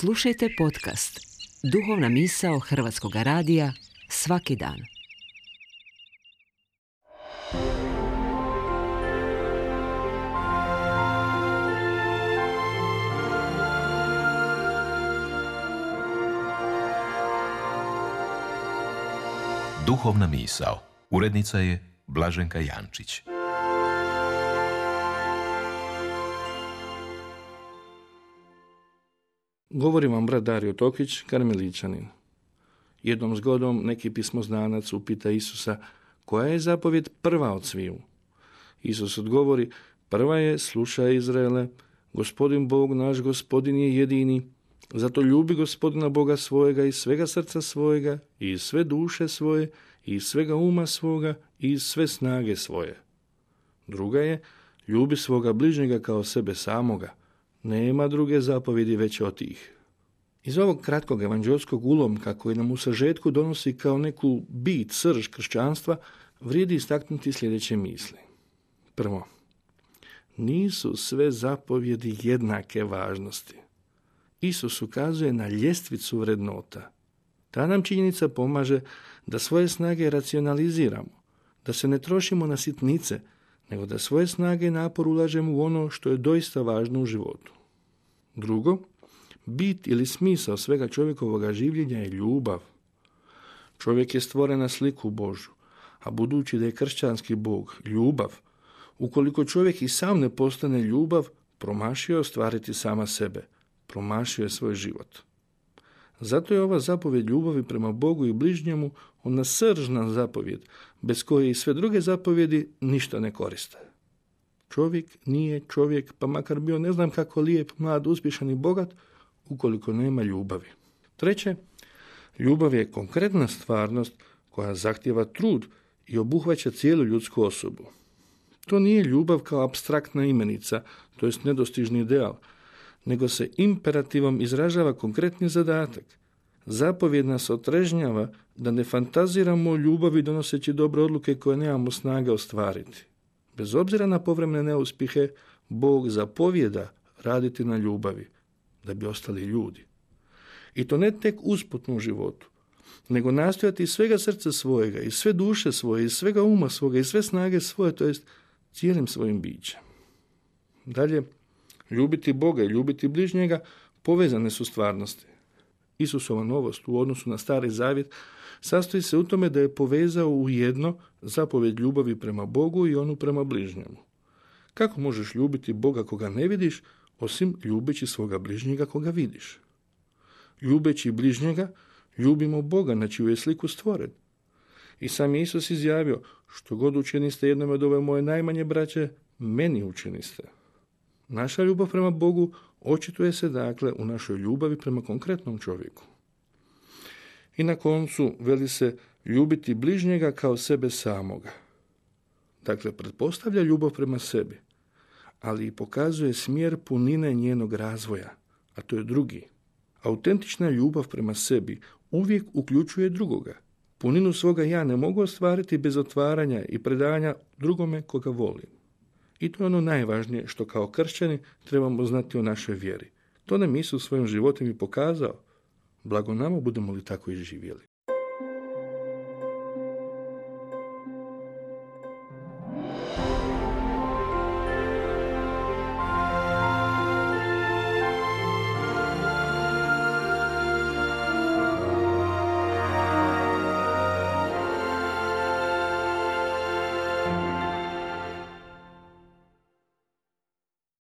Slušajte podcast Duhovna misao Hrvatskog radija svaki dan. Duhovna misao. Urednica je Blaženka Jančić. Govori vam brat Dario Tokić, karmeličanin. Jednom zgodom neki pismoznanac upita Isusa koja je zapovjed prva od sviju. Isus odgovori, prva je, slušaj Izraele, Gospodin Bog naš Gospodin je jedini, zato ljubi Gospodina Boga svojega iz svega srca svojega, i iz sve duše svoje, i iz svega uma svoga, i iz sve snage svoje. Druga je, ljubi svoga bližnjega kao sebe samoga. Nema druge zapovjedi veće od tih. Iz ovog kratkog evanđelskog ulomka koji nam u sažetku donosi kao neku bit, srž kršćanstva, vrijedi istaknuti sljedeće misli. Prvo, nisu sve zapovjedi jednake važnosti. Isus ukazuje na ljestvicu vrednota. Ta nam činjenica pomaže da svoje snage racionaliziramo, da se ne trošimo na sitnice, nego da svoje snage i napor ulažemo u ono što je doista važno u životu. Drugo, bit ili smisao svega čovjekovoga življenja je ljubav. Čovjek je stvoren na sliku Božju, a budući da je kršćanski Bog ljubav, ukoliko čovjek i sam ne postane ljubav, promašio je ostvariti sama sebe, promašio je svoj život. Zato je ova zapovjed ljubavi prema Bogu i bližnjemu ona sržna zapovjed, bez koje i sve druge zapovjedi ništa ne koriste. Čovjek nije čovjek, pa makar bio ne znam kako lijep, mlad, uspješan i bogat, ukoliko nema ljubavi. Treće, ljubav je konkretna stvarnost koja zahtijeva trud i obuhvaća cijelu ljudsku osobu. To nije ljubav kao apstraktna imenica, to jest nedostižni ideal, nego se imperativom izražava konkretni zadatak. Zapovjed nas otrežnjava da ne fantaziramo o ljubavi donoseći dobre odluke koje nemamo snage ostvariti. Bez obzira na povremene neuspjehe, Bog zapovjeda raditi na ljubavi, da bi ostali ljudi. I to ne tek usputno u životu, nego nastojati iz svega srca svojega, iz sve duše svoje, iz svega uma svoga, iz sve snage svoje, to jest cijelim svojim bićem. Dalje, ljubiti Boga i ljubiti bližnjega povezane su stvarnosti. Isusova novost u odnosu na Stari Zavjet sastoji se u tome da je povezao u jedno zapovjed ljubavi prema Bogu i onu prema bližnjemu. Kako možeš ljubiti Boga koga ne vidiš, osim ljubeći svoga bližnjega koga vidiš? Ljubeći bližnjega, ljubimo Boga na čiju je sliku stvoren. I sam Isus izjavio, što god učiniste jednome od ove moje najmanje braće, meni učiniste. Naša ljubav prema Bogu očituje se dakle u našoj ljubavi prema konkretnom čovjeku. I na koncu veli se ljubiti bližnjega kao sebe samoga. Dakle, pretpostavlja ljubav prema sebi, ali i pokazuje smjer punine njenog razvoja, a to je drugi. Autentična ljubav prema sebi uvijek uključuje drugoga. Puninu svoga ja ne mogu ostvariti bez otvaranja i predanja drugome koga volim. I to je ono najvažnije što kao kršćani trebamo znati o našoj vjeri. To nam Isus svojim životom i pokazao. Blago nama budemo li tako i živjeli.